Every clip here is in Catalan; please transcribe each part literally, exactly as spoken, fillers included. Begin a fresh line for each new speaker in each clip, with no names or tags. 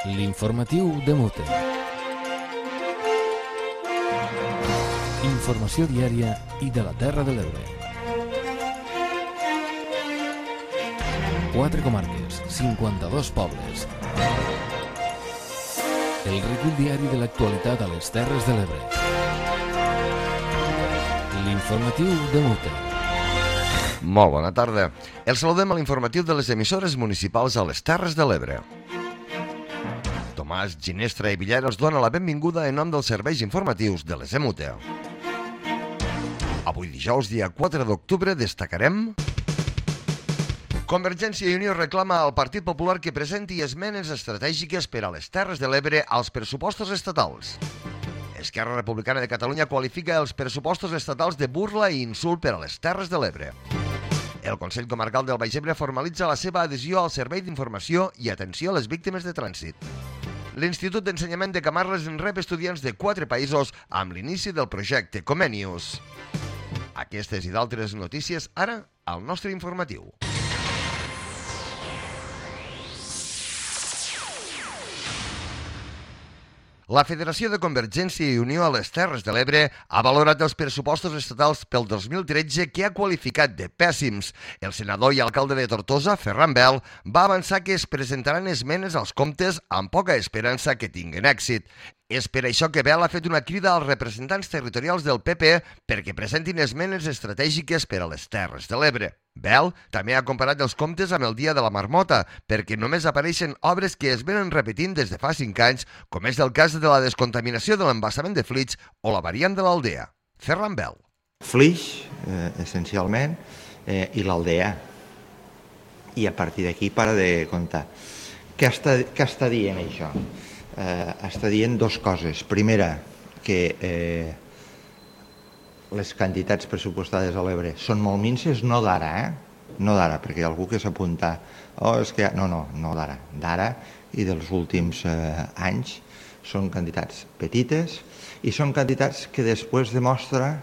L'informatiu de Mute. Informació diària i de la Terra de l'Ebre. Quatre comarques, cinquanta-dos pobles. El recull diari de l'actualitat a les Terres de l'Ebre. L'informatiu de Mute.
Molt bona tarda. El saludem a l'informatiu de les emissores municipals a les Terres de l'Ebre. Tomàs Ginestra i Villar us dona la benvinguda en nom dels serveis informatius de les E M U T E. Avui dijous, dia quatre d'octubre, destacarem... Convergència i Unió reclama al Partit Popular que presenti esmenes estratègiques per a les Terres de l'Ebre als pressupostos estatals. Esquerra Republicana de Catalunya qualifica els pressupostos estatals de burla i insult per a les Terres de l'Ebre. El Consell Comarcal del Baix Ebre formalitza la seva adhesió al Servei d'Informació i Atenció a les Víctimes de Trànsit. L'Institut d'Ensenyament de Camarles en rep estudiants de quatre països amb l'inici del projecte Comenius. Aquestes i d'altres notícies ara al nostre informatiu. La Federació de Convergència i Unió a les Terres de l'Ebre ha valorat els pressupostos estatals pel dos mil tretze que ha qualificat de pèssims. El senador i alcalde de Tortosa, Ferran Bel, va avançar que es presentaran esmenes als comptes amb poca esperança que tinguin èxit. És per això que Bel ha fet una crida als representants territorials del P P perquè presentin esmenes estratègiques per a les Terres de l'Ebre. Bel també ha comparat els comptes amb el Dia de la Marmota, perquè només apareixen obres que es venen repetint des de fa cinc anys, com és el cas de la descontaminació de l'embassament de Flix o la variant de l'Aldea. Ferran Bel.
Flix, eh, essencialment, eh, i l'Aldea. I a partir d'aquí para de comptar. Què està, què està dient això? Eh, està dient dues coses. Primera, que eh, les quantitats pressupostades a l'Ebre són molt minces, no d'ara, eh? No d'ara, perquè hi ha algú que s'apunta. Oh, és que... No, no, no d'ara. D'ara i dels últims eh, anys són quantitats petites i són quantitats que després demostra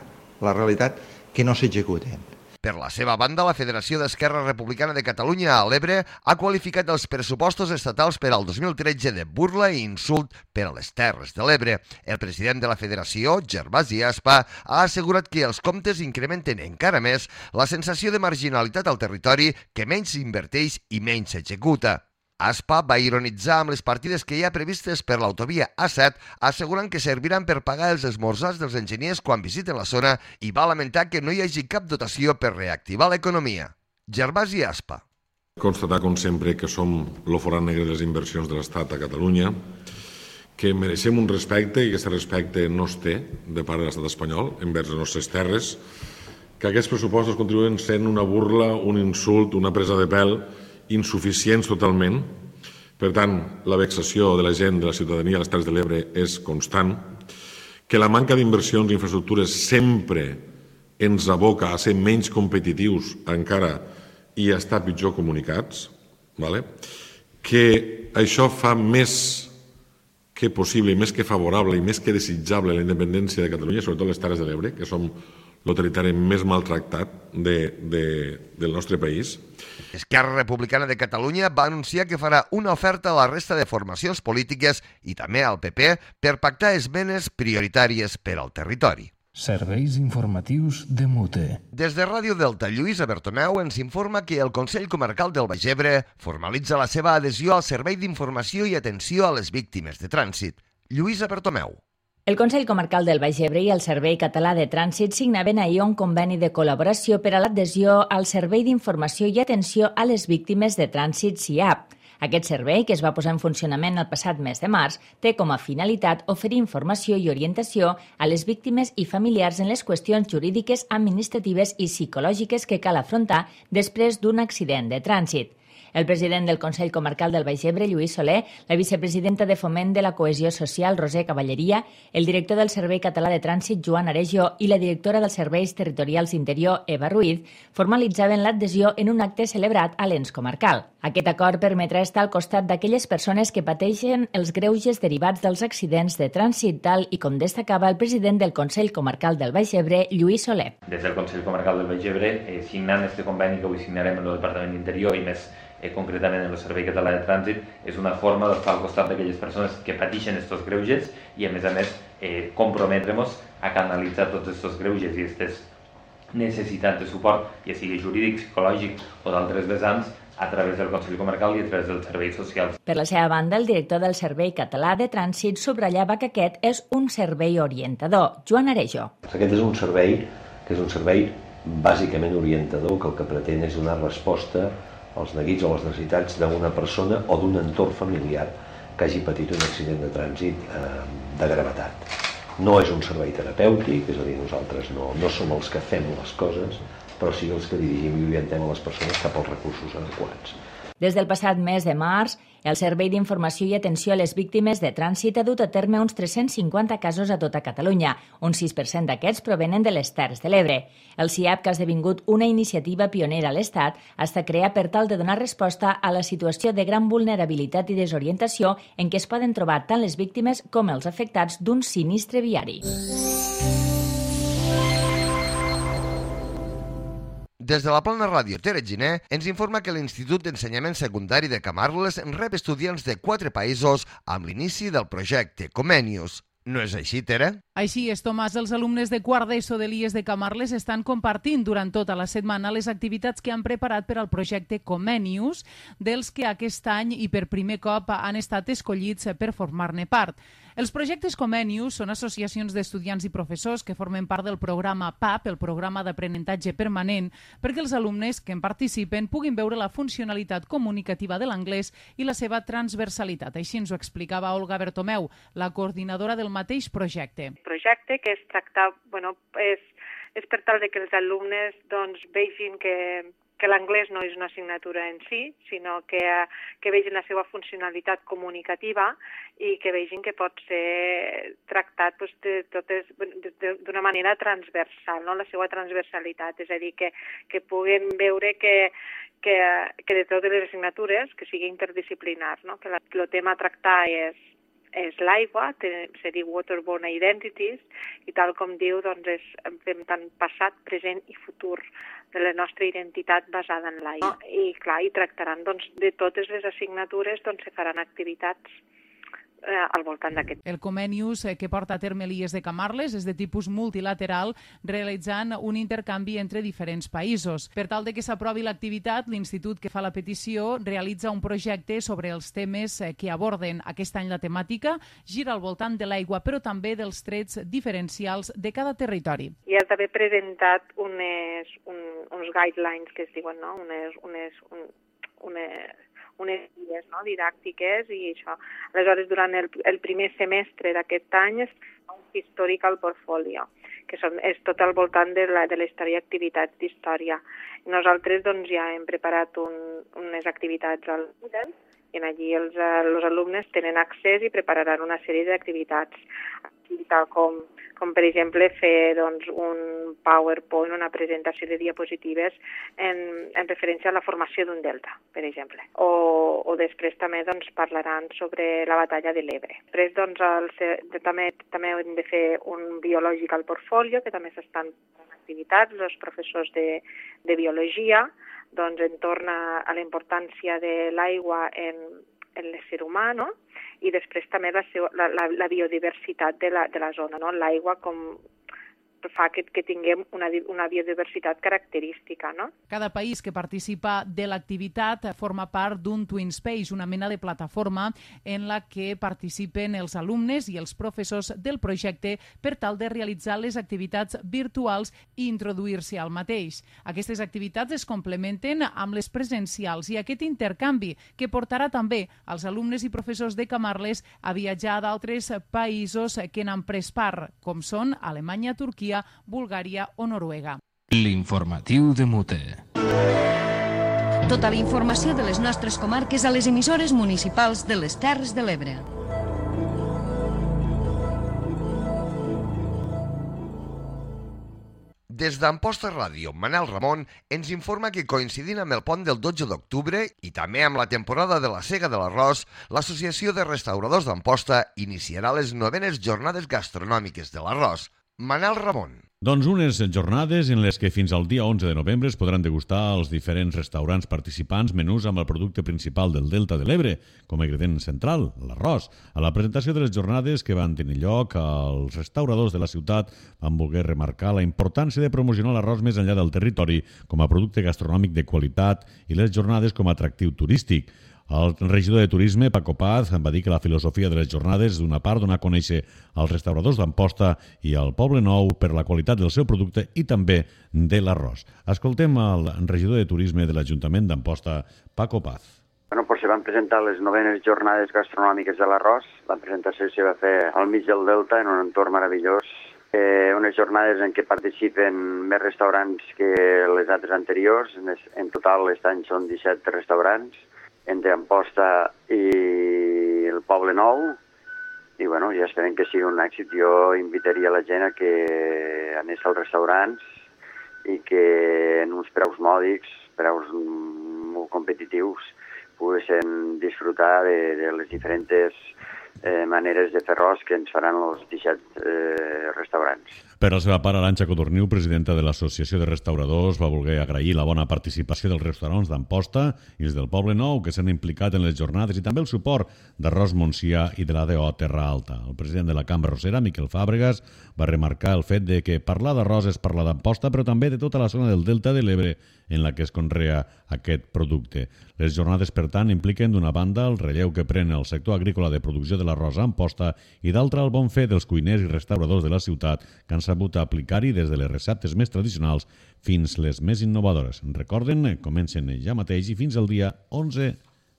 la realitat que no s'executen.
Per la seva banda, la Federació d'Esquerra Republicana de Catalunya a l'Ebre ha qualificat els pressupostos estatals per al dos mil tretze de burla i insult per a les Terres de l'Ebre. El president de la Federació, Gervasi Aspa, ha assegurat que els comptes incrementen encara més la sensació de marginalitat al territori que menys s'inverteix i menys s'executa. Aspa va ironitzar amb les partides que hi ha previstes per l'autovia A set, assegurant que serviran per pagar els esmorzars dels enginyers quan visiten la zona i va lamentar que no hi hagi cap dotació per reactivar l'economia. Gervasi Aspa.
Constatar, com sempre, que som el forat negre de les inversions de l'Estat a Catalunya, que mereixem un respecte i que aquest respecte no es té de part de l'Estat espanyol envers les nostres terres, que aquests pressupostos continuen sent una burla, un insult, una presa de pèl insuficients totalment. Per tant, la vexació de la gent, de la ciutadania a les Terres de l'Ebre és constant, que la manca d'inversions i infraestructures sempre ens aboca a ser menys competitius encara i a estar pitjor comunicats, vale? Que això fa més que possible i més que favorable i més que desitjable la independència de Catalunya, sobretot les Terres de l'Ebre, que som el territori més maltractat de, de, del nostre país.
Esquerra Republicana de Catalunya va anunciar que farà una oferta a la resta de formacions polítiques i també al P P per pactar esmenes prioritàries per al territori.
Serveis informatius de Mute.
Des de Ràdio Delta, Lluïsa Bertomeu ens informa que el Consell Comarcal del Baix Ebre formalitza la seva adhesió al Servei d'Informació i Atenció a les Víctimes de Trànsit. Lluïsa Bertomeu.
El Consell Comarcal del Baix Ebre i el Servei Català de Trànsit signaven ahir un conveni de col·laboració per a l'adhesió al Servei d'Informació i Atenció a les Víctimes de Trànsit S I A P. Aquest servei, que es va posar en funcionament el passat mes de març, té com a finalitat oferir informació i orientació a les víctimes i familiars en les qüestions jurídiques, administratives i psicològiques que cal afrontar després d'un accident de trànsit. El president del Consell Comarcal del Baix Ebre, Lluís Soler, la vicepresidenta de Foment de la Cohesió Social, Roser Cavalleria, el director del Servei Català de Trànsit, Joan Arejo, i la directora dels Serveis Territorials Interior, Eva Ruiz, formalitzaven l'adhesió en un acte celebrat a l'ens comarcal. Aquest acord permetrà estar al costat d'aquelles persones que pateixen els greuges derivats dels accidents de trànsit, tal i com destacava el president del Consell Comarcal del Baix Ebre, Lluís Soler.
Des del Consell Comarcal del Baix Ebre, eh, signant este conveni que avui signarem amb el Departament d'Interior i més eh, concretament en el Servei Català de Trànsit, és una forma d'estar al costat d'aquelles persones que pateixen aquests greuges i, a més a més, eh, comprometre'ns a canalitzar tots aquests greuges i aquestes necessitats de suport, ja sigui jurídic, psicològic o d'altres vessants, a través del Consell Comarcal i a través dels serveis socials.
Per la seva banda, el director del Servei Català de Trànsit subratllava que aquest és un servei orientador. Joan Arejo.
Aquest és un servei que és un servei bàsicament orientador, que el que pretén és donar resposta als neguits o les necessitats d'una persona o d'un entorn familiar que hagi patit un accident de trànsit eh, de gravetat. No és un servei terapèutic, és a dir, nosaltres no, no som els que fem les coses, però sí els que dirigim i orientem a les persones cap als recursos adequats.
Des del passat mes de març, el Servei d'Informació i Atenció a les Víctimes de Trànsit ha dut a terme uns tres-cents cinquanta casos a tota Catalunya. Un sis per cent d'aquests provenen de les Terres de l'Ebre. El C I A P, que ha esdevingut una iniciativa pionera a l'Estat, està creat per tal de donar resposta a la situació de gran vulnerabilitat i desorientació en què es poden trobar tant les víctimes com els afectats d'un sinistre viari.
Des de la Plana Ràdio Tere Giner ens informa que l'Institut d'Ensenyament Secundari de Camarles rep estudiants de quatre països amb l'inici del projecte Comenius. No és així, Tere?
Així és, Tomàs. Els alumnes de quart d'ESO de l'I E S de Camarles estan compartint durant tota la setmana les activitats que han preparat per al projecte Comenius, dels que aquest any i per primer cop han estat escollits per formar-ne part. Els projectes Comenius són associacions d'estudiants i professors que formen part del programa P A P, el programa d'aprenentatge permanent, perquè els alumnes que en participen puguin veure la funcionalitat comunicativa de l'anglès i la seva transversalitat. Així ens ho explicava Olga Bertomeu, la coordinadora del mateix projecte.
Projecte que és tractar, bueno, és, és per tal de que els alumnes doncs, vegin que, que l'anglès no és una assignatura en si, sinó que, que vegin la seva funcionalitat comunicativa i que vegin que pot ser tractat doncs, de totes, d'una manera transversal, no? La seva transversalitat, és a dir, que, que puguen veure que, que, que de totes les assignatures, que sigui interdisciplinar, no? Que la, el tema a tractar és és l'aigua, se diu Waterborne Identities, i tal com diu, doncs és, fem tant passat, present i futur de la nostra identitat basada en l'aigua. I clar, i tractaran doncs, de totes les assignatures, doncs se faran activitats eh, al voltant d'aquest.
El Comenius eh, que porta a terme l'I E S de Camarles és de tipus multilateral, realitzant un intercanvi entre diferents països. Per tal de que s'aprovi l'activitat, l'institut que fa la petició realitza un projecte sobre els temes eh, que aborden aquest any la temàtica, gira al voltant de l'aigua, però també dels trets diferencials de cada territori.
I ha d'haver presentat unes, un, uns guidelines que es diuen, no? unes, unes, un, unes unes guies no? didàctiques i això. Aleshores, durant el, el primer semestre d'aquest any es fa un historical portfolio, que són, és tot al voltant de la, de la història i activitats d'història. Nosaltres doncs, ja hem preparat un, unes activitats al Moodle i allí els, els alumnes tenen accés i prepararan una sèrie d'activitats, tal com, com per exemple fer doncs, un PowerPoint, una presentació de diapositives en, en referència a la formació d'un delta, per exemple. O, o després també doncs, parlaran sobre la batalla de l'Ebre. Després doncs, el, també, també hem de fer un biological portfolio, que també s'estan fent activitats, els professors de, de biologia, doncs, entorn a, a la importància de l'aigua en, en l'ésser humà, no? I després també la, la, la biodiversitat de la, de la zona, no? L'aigua com fa que, que tinguem una, una biodiversitat característica, no?
Cada país que participa de l'activitat forma part d'un Twin Space, una mena de plataforma en la que participen els alumnes i els professors del projecte per tal de realitzar les activitats virtuals i introduir-se al mateix. Aquestes activitats es complementen amb les presencials i aquest intercanvi que portarà també als alumnes i professors de Camarles a viatjar a d'altres països que n'han pres part, com són Alemanya, Turquia, Bulgària o Noruega.
L'informatiu de Mute.
Tota la informació de les nostres comarques a les emissores municipals de les Terres de l'Ebre.
Des d'Amposta Ràdio, Manel Ramon ens informa que coincidint amb el pont del dotze d'octubre i també amb la temporada de la sega de l'arròs, l'Associació de Restauradors d'Amposta iniciarà les novenes jornades gastronòmiques de l'arròs. Manel Ramon.
Doncs unes jornades en les que fins al dia onze de novembre es podran degustar als diferents restaurants participants menús amb el producte principal del Delta de l'Ebre, com a ingredient central, l'arròs. A la presentació de les jornades que van tenir lloc, els restauradors de la ciutat van voler remarcar la importància de promocionar l'arròs més enllà del territori com a producte gastronòmic de qualitat i les jornades com a atractiu turístic. El regidor de Turisme, Paco Paz, va dir que la filosofia de les jornades és d'una part donar a conèixer als restauradors d'Amposta i al Poble Nou per la qualitat del seu producte i també de l'arròs. Escoltem el regidor de Turisme de l'Ajuntament d'Amposta, Paco Paz.
Bueno, pues se van presentar les novenes jornades gastronòmiques de l'arròs. La presentació se va fer al mig del Delta, en un entorn meravellós. Eh, unes jornades en què participen més restaurants que les altres anteriors. En total, aquest any són disset restaurants, entre Amposta i el Poble Nou, i bueno, ja esperem que sigui un èxit. Jo invitaria la gent a que anés als restaurants i que en uns preus mòdics, preus molt competitius, poguessin disfrutar de, de les diferents eh, maneres de fer arròs que ens faran els disset eh, restaurants.
Per la seva part, Arantxa Codorniu, presidenta de l'Associació de Restauradors, va voler agrair la bona participació dels restaurants d'Amposta i els del Poble Nou que s'han implicat en les jornades i també el suport d'Arròs Montsià i de l'A D O Terra Alta. El president de la Cambra Arrossera, Miquel Fàbregas, va remarcar el fet de que parlar d'arròs és parlar d'Amposta, però també de tota la zona del Delta de l'Ebre en la que es conrea aquest producte. Les jornades, per tant, impliquen d'una banda el relleu que pren el sector agrícola de producció de l'arròs a Amposta i d'altra el bon fer dels cuiners i restauradors de la ciutat que han sabut aplicar-hi des de les receptes més tradicionals fins les més innovadores. Recorden, comencen ja mateix i fins al dia onze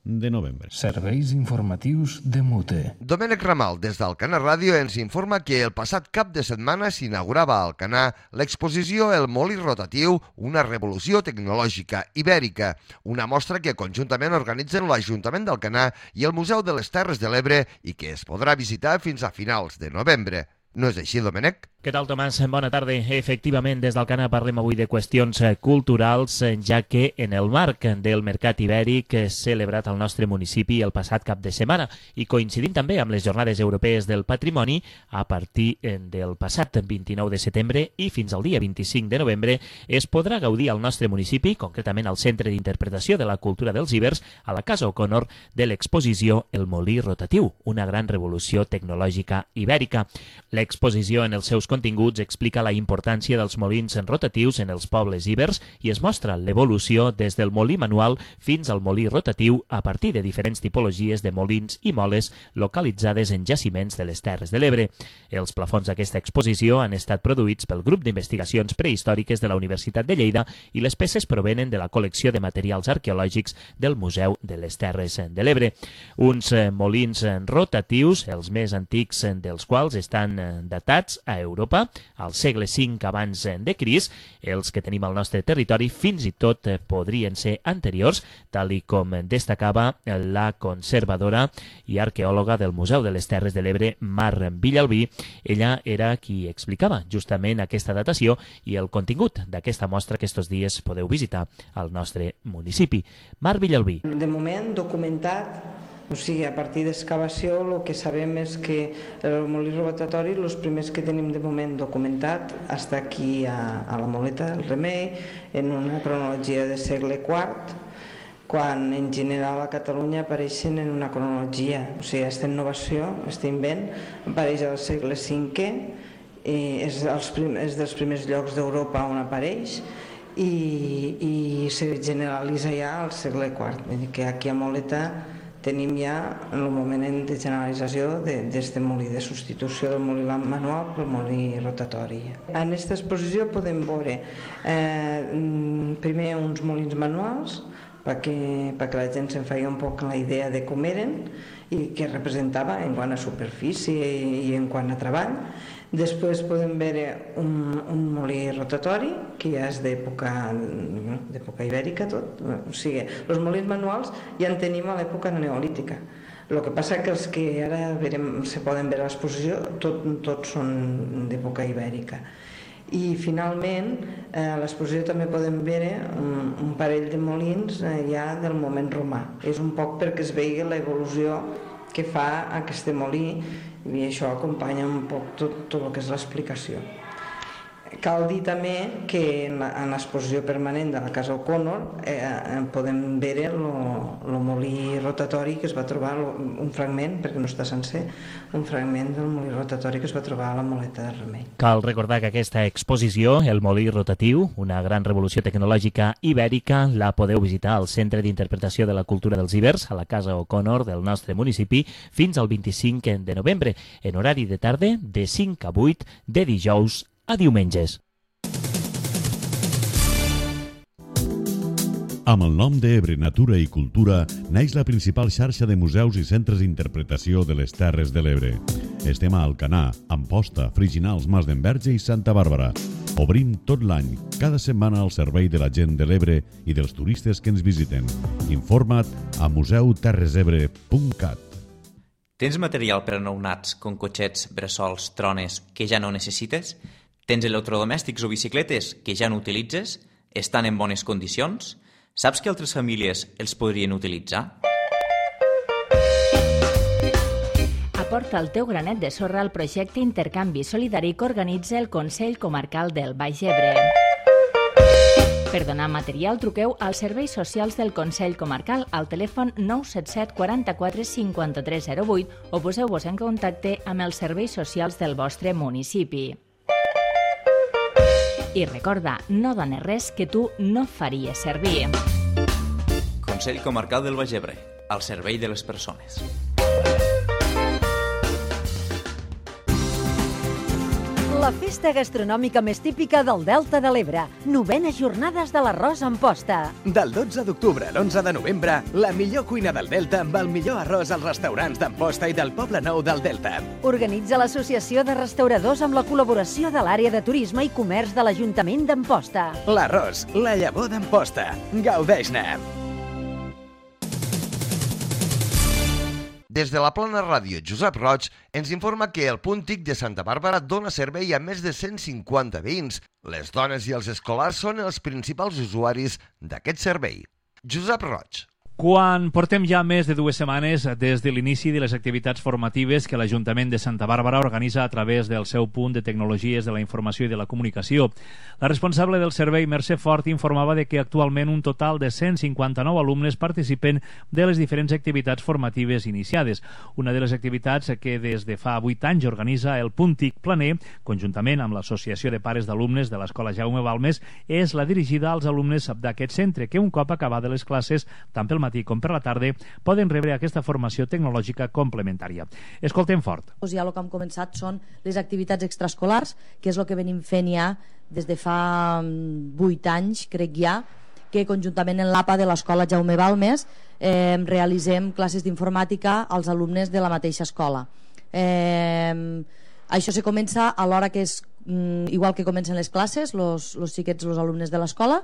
de novembre.
Serveis informatius de Mute.
Domènec Ramal, des d'Alcanar Ràdio, ens informa que el passat cap de setmana s'inaugurava a Alcanar l'exposició El Molí Rotatiu, una revolució tecnològica ibèrica, una mostra que conjuntament organitzen l'Ajuntament d'Alcanar i el Museu de les Terres de l'Ebre i que es podrà visitar fins a finals de novembre. No és així, Domènec?
Què tal, Tomàs? Bona tarda. Efectivament, des d'Alcanar parlem avui de qüestions culturals, ja que en el marc del Mercat Ibèric celebrat al nostre municipi el passat cap de setmana i coincidint també amb les Jornades Europees del Patrimoni, a partir del passat vint-i-nou de setembre i fins al dia vint-i-cinc de novembre es podrà gaudir al nostre municipi, concretament al Centre d'Interpretació de la Cultura dels Ibers, a la Casa O'Connor, de l'exposició El Molí Rotatiu, una gran revolució tecnològica ibèrica. L'exposició en els seus continguts explica la importància dels molins rotatius en els pobles ibers i es mostra l'evolució des del molí manual fins al molí rotatiu a partir de diferents tipologies de molins i moles localitzades en jaciments de les Terres de l'Ebre. Els plafons d'aquesta exposició han estat produïts pel grup d'investigacions prehistòriques de la Universitat de Lleida i les peces provenen de la col·lecció de materials arqueològics del Museu de les Terres de l'Ebre. Uns molins rotatius, els més antics dels quals estan datats a Europa, al segle cinc abans de Crist. Els que tenim al nostre territori fins i tot podrien ser anteriors, tal i com destacava la conservadora i arqueòloga del Museu de les Terres de l'Ebre, Mar Villalbí. Ella era qui explicava justament aquesta datació i el contingut d'aquesta mostra que estos dies podeu visitar al nostre municipi. Mar Villalbí.
De moment documentat. O sigui, a partir d'excavació el que sabem és que el molí rotatori, els primers que tenim de moment documentat, està aquí a, a la Moleta del Remei, en una cronologia de segle quart, quan en general a Catalunya apareixen en una cronologia. O sigui, aquesta innovació, aquest invent, apareix al segle cinquè, és, els prim, és dels primers llocs d'Europa on apareix, i, i se generalitza ja al segle quart. Vull dir que aquí a Moleta tenim ja el moment de generalització d'aquest molí, de substitució del molí manual pel molí rotatori. En aquesta exposició podem veure eh, primer uns molins manuals perquè, perquè la gent se'n feia un poc la idea de com eren i què representava en quant a superfície i en quant a treball. Després podem veure un, un molí rotatori, que ja és d'època d'època ibèrica tot. O sigui, els molins manuals ja en tenim a l'època neolítica. El que passa que els que ara verem, se poden veure a l'exposició, tot, tots són d'època ibèrica. I finalment, a l'exposició també podem veure un, un parell de molins ja del moment romà. És un poc perquè es vegi l'evolució que fa aquest molí i això acompanya un poc tot, tot el que és l'explicació. Cal dir també que en l'exposició permanent de la Casa O'Connor eh, podem veure el molí rotatori que es va trobar, un fragment, perquè no està sencer, un fragment del molí rotatori que es va trobar a la Moleta del Remei.
Cal recordar que aquesta exposició, el molí rotatiu, una gran revolució tecnològica ibèrica, la podeu visitar al Centre d'Interpretació de la Cultura dels Ibers, a la Casa O'Connor del nostre municipi, fins al vint-i-cinc de novembre, en horari de tarda de cinc a vuit, de dijous a diumenges.
Amb el nom d'Ebre Natura i Cultura neix la principal xarxa de museus i centres d'interpretació de les Terres de l'Ebre. Estem a Alcanar, Amposta, Friginals, Mas d'Enverge i Santa Bàrbara. Obrim tot l'any, cada setmana al servei de la gent de l'Ebre i dels turistes que ens visiten. Informa't a museu terres ebre punt cat.
Tens material per a nounats, com cotxets, bressols, trones, que ja no necessites? Tens electrodomèstics o bicicletes que ja no utilitzes? Estan en bones condicions? Saps que altres famílies els podrien utilitzar?
Aporta el teu granet de sorra al projecte Intercanvi Solidari que organitza el Consell Comarcal del Baix Ebre. Per donar material, truqueu als serveis socials del Consell Comarcal al telèfon nou set set quaranta-quatre cinquanta-tres zero vuit o poseu-vos en contacte amb els serveis socials del vostre municipi. I recorda, no dones res que tu no faries servir.
Consell Comarcal del Baix Ebre, al servei de les persones.
La festa gastronòmica més típica del Delta de l'Ebre. Novenes jornades de l'arròs en posta.
Del dotze d'octubre a l'onze de novembre, la millor cuina del Delta amb el millor arròs als restaurants d'Amposta i del Poble Nou del Delta.
Organitza l'Associació de Restauradors amb la col·laboració de l'àrea de turisme i comerç de l'Ajuntament d'Amposta.
L'arròs, la llavor d'Amposta. Gaudeix-ne!
Des de la Plana Ràdio Josep Roig ens informa que el Punt T I C de Santa Bàrbara dona servei a més de cent cinquanta veïns. Les dones i els escolars són els principals usuaris d'aquest servei. Josep Roig.
Quan portem ja més de dues setmanes des de l'inici de les activitats formatives que l'Ajuntament de Santa Bàrbara organitza a través del seu punt de tecnologies de la informació i de la comunicació, la responsable del servei, Mercè Fort, informava de que actualment un total de cent cinquanta-nou alumnes participen de les diferents activitats formatives iniciades. Una de les activitats que des de fa vuit anys organitza el Punt T I C Planer, conjuntament amb l'Associació de Pares d'Alumnes de l'Escola Jaume Balmes, és la dirigida als alumnes d'aquest centre, que un cop acabades les classes, tant pel matí com per la tarda, poden rebre aquesta formació tecnològica complementària. Escoltem Fort.
Ja el que hem començat són les activitats extraescolars, que és el que venim fent ja des de fa vuit anys, crec ja, que conjuntament en l'A P A de l'Escola Jaume Balmes eh, realitzem classes d'informàtica als alumnes de la mateixa escola. Eh, això se comença a l'hora que és igual que comencen les classes, los, los xiquets, els alumnes de l'escola,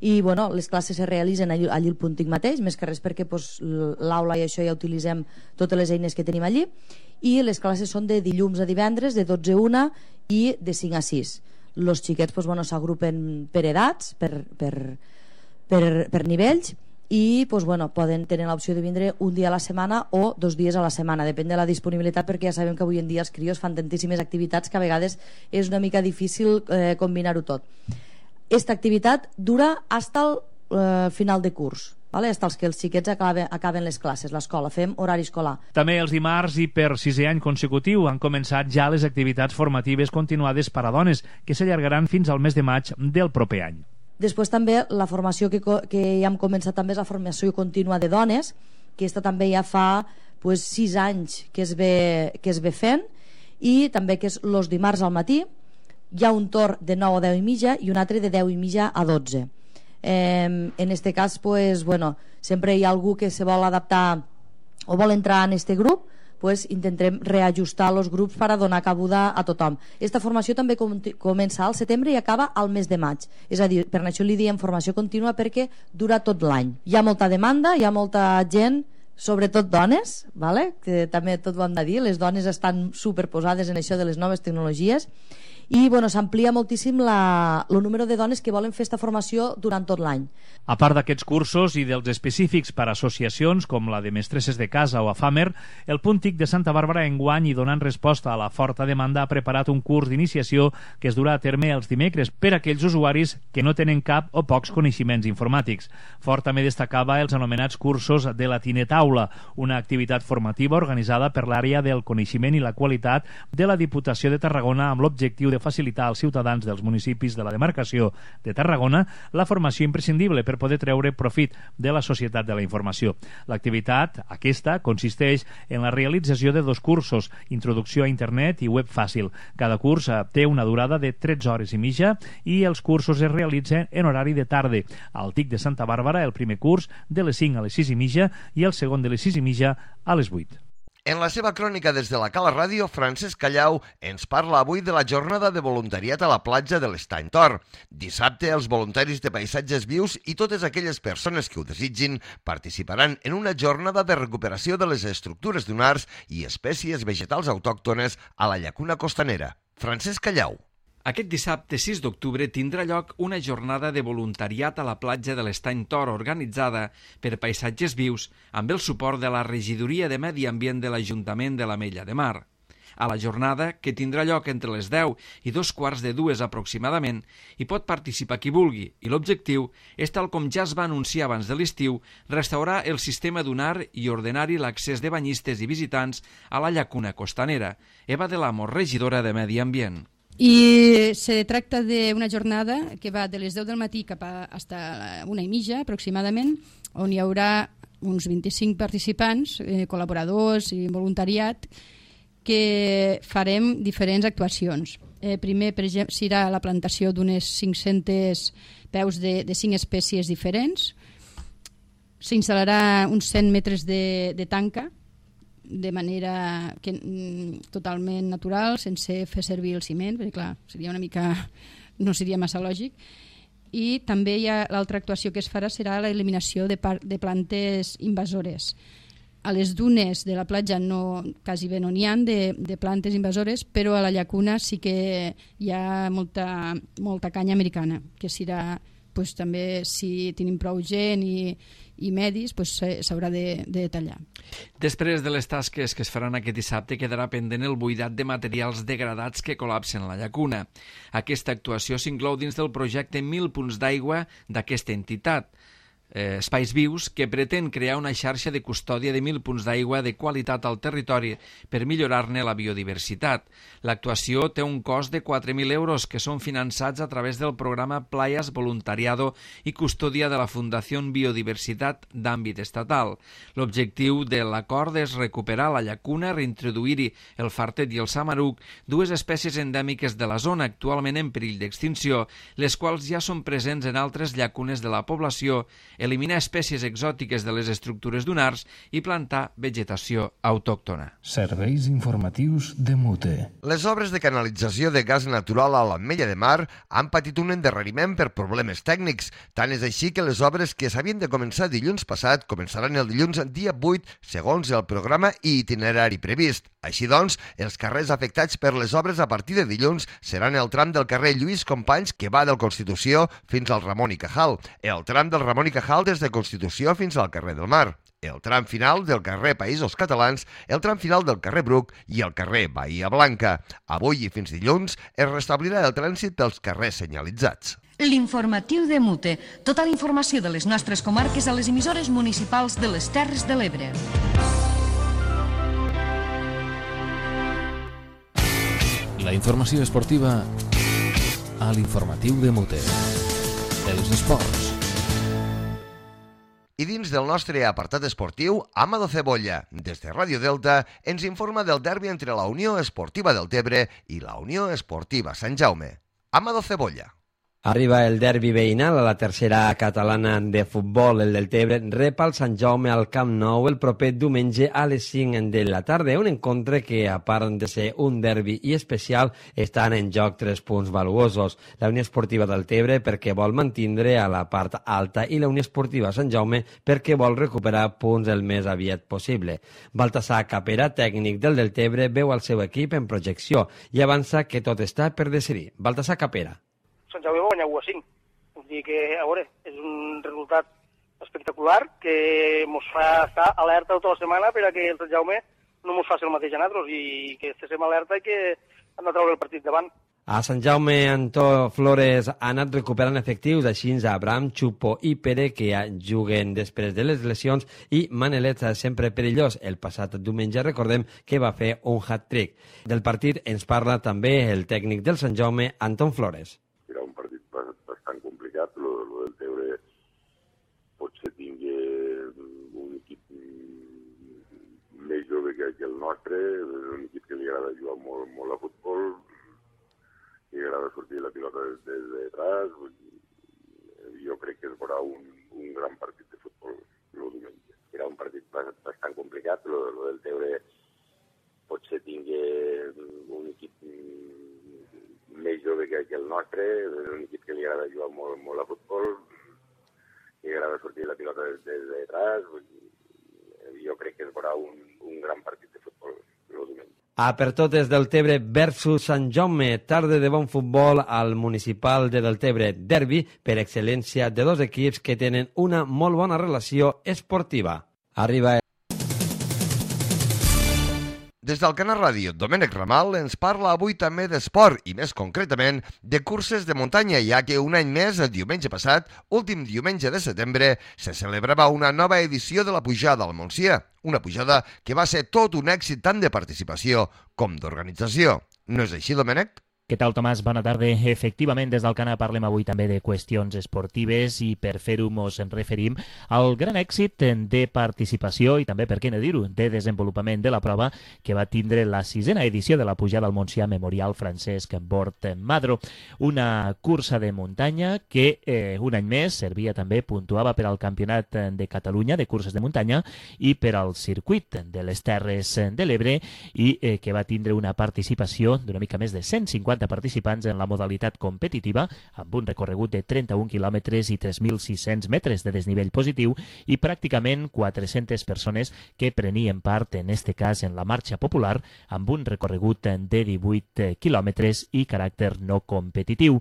i bueno, les classes se realitzen allí, allí al Punt T I C mateix, més que res perquè pues, l'aula i això ja utilitzem totes les eines que tenim allí, i les classes són de dilluns a divendres, de dotze a una i de cinc a sis. Els xiquets pues, bueno, s'agrupen per edats, per, per, per, per nivells, i pues, bueno, poden tenir l'opció de vindre un dia a la setmana o dos dies a la setmana, depèn de la disponibilitat, perquè ja sabem que avui en dia els crios fan tantíssimes activitats que a vegades és una mica difícil eh, combinar-ho tot. Esta activitat dura fins al eh, final de curs, vale? Fins que els xiquets acaben, acaben les classes, l'escola, fem horari escolar.
També els dimarts i per sisè any consecutiu han començat ja les activitats formatives continuades per a dones, que s'allargaran fins al mes de maig del proper any.
Després també la formació que, que ja hem començat també és la formació contínua de dones, que aquesta també ja fa pues, sis anys que es, ve, que es ve fent, i també que és els dimarts al matí hi ha un torn de nou a deu i mitja i un altre de deu i mitja a dotze. Eh, en este cas pues, bueno, sempre hi ha algú que se vol adaptar o vol entrar en este grup, pues intentarem reajustar els grups per a donar cabuda a tothom. Esta formació també com comença al setembre i acaba al mes de maig. És a dir, per això li diem formació contínua perquè dura tot l'any. Hi ha molta demanda, hi ha molta gent, sobretot dones, vale? Que també tot ho hem de dir, les dones estan superposades en això de les noves tecnologies, i bueno, s'amplia moltíssim la, el número de dones que volen fer aquesta formació durant tot l'any.
A part d'aquests cursos i dels específics per a associacions com la de Mestresses de Casa o a FAMER, el Punt TIC de Santa Bàrbara enguany i donant resposta a la forta demanda ha preparat un curs d'iniciació que es durà a terme els dimecres per a aquells usuaris que no tenen cap o pocs coneixements informàtics. Fort també destacava els anomenats cursos de la Tinetaula, una activitat formativa organitzada per l'àrea del coneixement i la qualitat de la Diputació de Tarragona amb l'objectiu de facilitar als ciutadans dels municipis de la demarcació de Tarragona la formació imprescindible per poder treure profit de la societat de la informació. L'activitat, aquesta, consisteix en la realització de dos cursos, Introducció a Internet i Web Fàcil. Cada curs té una durada de tretze hores i mitja i els cursos es realitzen en horari de tarda. Al TIC de Santa Bàrbara, el primer curs de les cinc a les sis i mitja i el segon de les sis i mitja a les vuit.
En la seva crònica des de la Cala Ràdio, Francesc Callau ens parla avui de la jornada de voluntariat a la platja de l'Estany Tor. Dissabte, els voluntaris de Paisatges Vius i totes aquelles persones que ho desitgin participaran en una jornada de recuperació de les estructures dunars i espècies vegetals autòctones a la llacuna costanera. Francesc Callau.
Aquest dissabte sis d'octubre tindrà lloc una jornada de voluntariat a la platja de l'Estany Tor organitzada per Paisatges Vius amb el suport de la Regidoria de Medi Ambient de l'Ajuntament de l'Ametlla de Mar. A la jornada, que tindrà lloc entre les deu i dos quarts de dues aproximadament, hi pot participar qui vulgui i l'objectiu és, tal com ja es va anunciar abans de l'estiu, restaurar el sistema dunar i ordenar-hi l'accés de banyistes i visitants a la llacuna costanera. Eva de l'Amo, regidora de Medi Ambient.
I se tracta d'una jornada que va de les deu del matí cap a hasta una i mitja aproximadament, on hi haurà uns vint-i-cinc participants, eh, col·laboradors i voluntariat, que farem diferents actuacions. Eh, primer, per exemple, serà la plantació d'unes cinc-cents peus de, de cinc espècies diferents. S'instal·larà uns cent metres de, de tanca, de manera que, totalment natural, sense fer servir el ciment, perquè clar, seria una mica, no seria massa lògic. I també hi ha l'altra actuació que es farà serà l'eliminació de, de plantes invasores. A les dunes de la platja no, quasi bé no n'hi ha de, de plantes invasores, però a la llacuna sí que hi ha molta, molta canya americana, que serà, pues, també si tenim prou gent i, i medis, pues, s'haurà de, de tallar.
Després de les tasques que es faran aquest dissabte, quedarà pendent el buidat de materials degradats que col·lapsen la llacuna. Aquesta actuació s'inclou dins del projecte Mil punts d'aigua d'aquesta entitat, eh, Espais Vius, que pretén crear una xarxa de custòdia de mil punts d'aigua de qualitat al territori per millorar-ne la biodiversitat. L'actuació té un cost de quatre mil euros que són finançats a través del programa Playas Voluntariado i Custòdia de la Fundació Biodiversitat d'àmbit estatal. L'objectiu de l'acord és recuperar la llacuna, reintroduir-hi el fartet i el samaruc, dues espècies endèmiques de la zona actualment en perill d'extinció, les quals ja són presents en altres llacunes de la població, eliminar espècies exòtiques de les estructures dunars i plantar vegetació autòctona.
Serveis informatius de Mute.
Les obres de canalització de gas natural a l'Ametlla de Mar han patit un endarreriment per problemes tècnics. Tant és així que les obres que s'havien de començar dilluns passat començaran el dilluns dia vuit, segons el programa i itinerari previst. Així doncs, els carrers afectats per les obres a partir de dilluns seran el tram del carrer Lluís Companys, que va del Constitució fins al Ramon i Cajal, el tram del Ramon i Cajal des de Constitució fins al carrer del Mar, el tram final del carrer Països Catalans, el tram final del carrer Bruc i el carrer Bahia Blanca. Avui i fins dilluns es restablirà el trànsit dels carrers senyalitzats.
L'informatiu de Mute. Tota la informació de les nostres comarques a les emissores municipals de les Terres de l'Ebre.
La informació esportiva a l'informatiu de Mute. Els esports.
I dins del nostre apartat esportiu, Amado Cebolla, des de Ràdio Delta, ens informa del derbi entre la Unió Esportiva del Tebre i la Unió Esportiva Sant Jaume. Amado Cebolla.
Arriba el derbi veïnal a la tercera catalana de futbol. El Deltebre rep el Sant Jaume al Camp Nou el proper diumenge a les cinc de la tarda. Un encontre que, a part de ser un derbi i especial, estan en joc tres punts valuosos. La Unió Esportiva Deltebre perquè vol mantindre a la part alta i la Unió Esportiva Sant Jaume perquè vol recuperar punts el més aviat possible. Baltasar Capera, tècnic del Deltebre, veu el seu equip en projecció i avança que tot està per decidir. Baltasar Capera.
Sant Jaume va guanyar u a cinc. Vull dir que, a veure, és un resultat espectacular que ens fa estar alerta tota la setmana per a que el Sant Jaume no ens faci el mateix a nosaltres i que estiguem alerta i que hem de treure el partit davant.
A Sant Jaume, Antó Flores ha anat recuperant efectius, així Abraham, Xupo i Pere, que ja juguen després de les lesions, i Manelet, sempre perillós. El passat diumenge recordem que va fer un hat-trick. Del partit ens parla també el tècnic del Sant Jaume, Antó Flores.
Era un partit bastant complicat, lo, lo del Tebre potser tingui un equip més jove que, que el nostre, un equip que li agrada jugar molt, molt a futbol, li agrada sortir la pilota des, des de atrás. Jo crec que es veurà un, un gran partit de futbol el diumenge. Era un partit bastant complicat, lo, lo del Tebre potser tingui un equip més jove que, que el nostre, un equip que li agrada jugar molt, molt a futbol, li agrada sortir la pilota des, des de atrás. Jo crec que es veurà un, un gran partit de futbol el diumenge.
A per totes Deltebre versus Sant Jaume, tarda de bon futbol al municipal de Deltebre, derbi per excel·lència de dos equips que tenen una molt bona relació esportiva. Arriba
Des del Canal Ràdio, Domènec Ramal ens parla avui també d'esport i més concretament de curses de muntanya, ja que un any més, el diumenge passat, últim diumenge de setembre, se celebrava una nova edició de la Pujada al Montsià, una pujada que va ser tot un èxit tant de participació com d'organització. No és així, Domènec?
Què tal, Tomàs? Bona tarda. Efectivament, des del Cana parlem avui també de qüestions esportives i per fer-ho ens referim al gran èxit de participació i també, per què no dir-ho, de desenvolupament de la prova que va tindre la sisena edició de la Pujada al Montsià Memorial Francesc Bort Madro. Una cursa de muntanya que eh, un any més servia també, puntuava per al Campionat de Catalunya de curses de muntanya i per al circuit de les Terres de l'Ebre i eh, que va tindre una participació d'una mica més de cent cinquanta participants en la modalitat competitiva, amb un recorregut de trenta-un quilòmetres i tres mil sis-cents metres de desnivell positiu i pràcticament quatre-centes persones que prenien part, en este cas, en la marxa popular, amb un recorregut de divuit quilòmetres i caràcter no competitiu.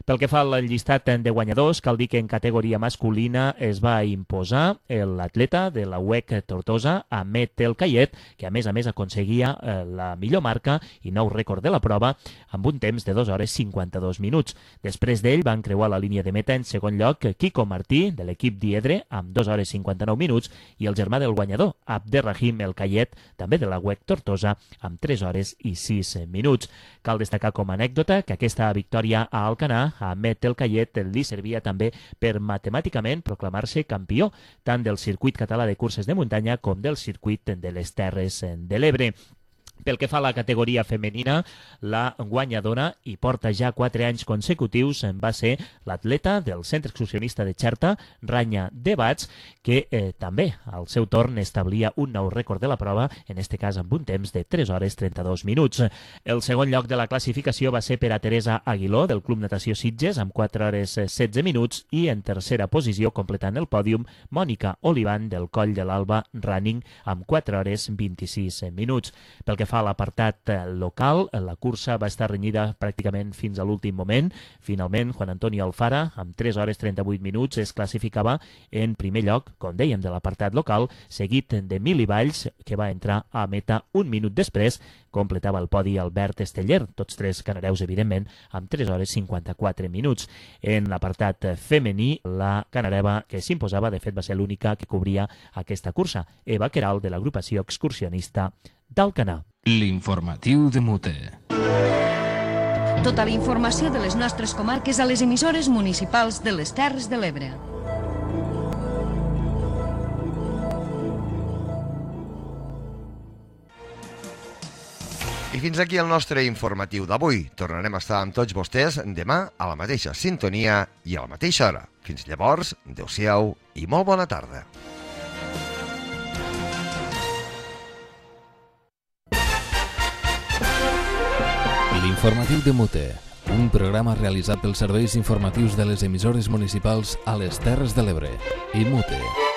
Pel que fa al llistat de guanyadors, cal dir que en categoria masculina es va imposar l'atleta de la U E C Tortosa, Ahmed El Kayet, que a més a més aconseguia la millor marca i nou rècord de la prova, amb un temps de dues hores cinquanta-dos minuts. Després d'ell van creuar la línia de meta en segon lloc Kiko Martí, de l'equip Diedre, amb dues hores cinquanta-nou minuts, i el germà del guanyador, Abderrahim El Kayet, també de la U E C Tortosa, amb tres hores i sis minuts. Cal destacar com a anècdota que aquesta victòria a Alcanar, a Ahmed El Kayet, li servia també per matemàticament proclamar-se campió, tant del circuit català de curses de muntanya com del circuit de les Terres de l'Ebre. Pel que fa a la categoria femenina, la guanyadora, i porta ja quatre anys consecutius, va ser l'atleta del Centre Excursionista de Xerta, Ranya Debats, que eh, també, al seu torn, establia un nou rècord de la prova, en este cas amb un temps de tres hores trenta-dos minuts. El segon lloc de la classificació va ser per a Teresa Aguiló, del Club Natació Sitges, amb quatre hores setze minuts, i en tercera posició, completant el pòdium, Mònica Olivan, del Coll de l'Alba Running, amb quatre hores vint-i-sis minuts. Pel que fa a l'apartat local, la cursa va estar renyida pràcticament fins a l'últim moment. Finalment, Juan Antonio Alfara, amb tres hores trenta-vuit minuts, es classificava en primer lloc, com dèiem, de l'apartat local, seguit de Mili Valls, que va entrar a meta un minut després. Completava el podi Albert Esteller, tots tres canareus, evidentment, amb tres hores cinquanta-quatre minuts. En l'apartat femení, la canareva que s'imposava, de fet, va ser l'única que cobria aquesta cursa, Eva Queralt, de l'agrupació excursionista d'Alcanar.
L'informatiu de Mute.
Tota la informació de les nostres comarques a les emissores municipals de les Terres de l'Ebre.
I fins aquí el nostre informatiu d'avui. Tornarem a estar amb tots vostès demà a la mateixa sintonia i a la mateixa hora. Fins llavors, adeu-siau i molt bona tarda.
L'informatiu de Mute, un programa realitzat pels serveis informatius de les emissores municipals a les Terres de l'Ebre i Mute.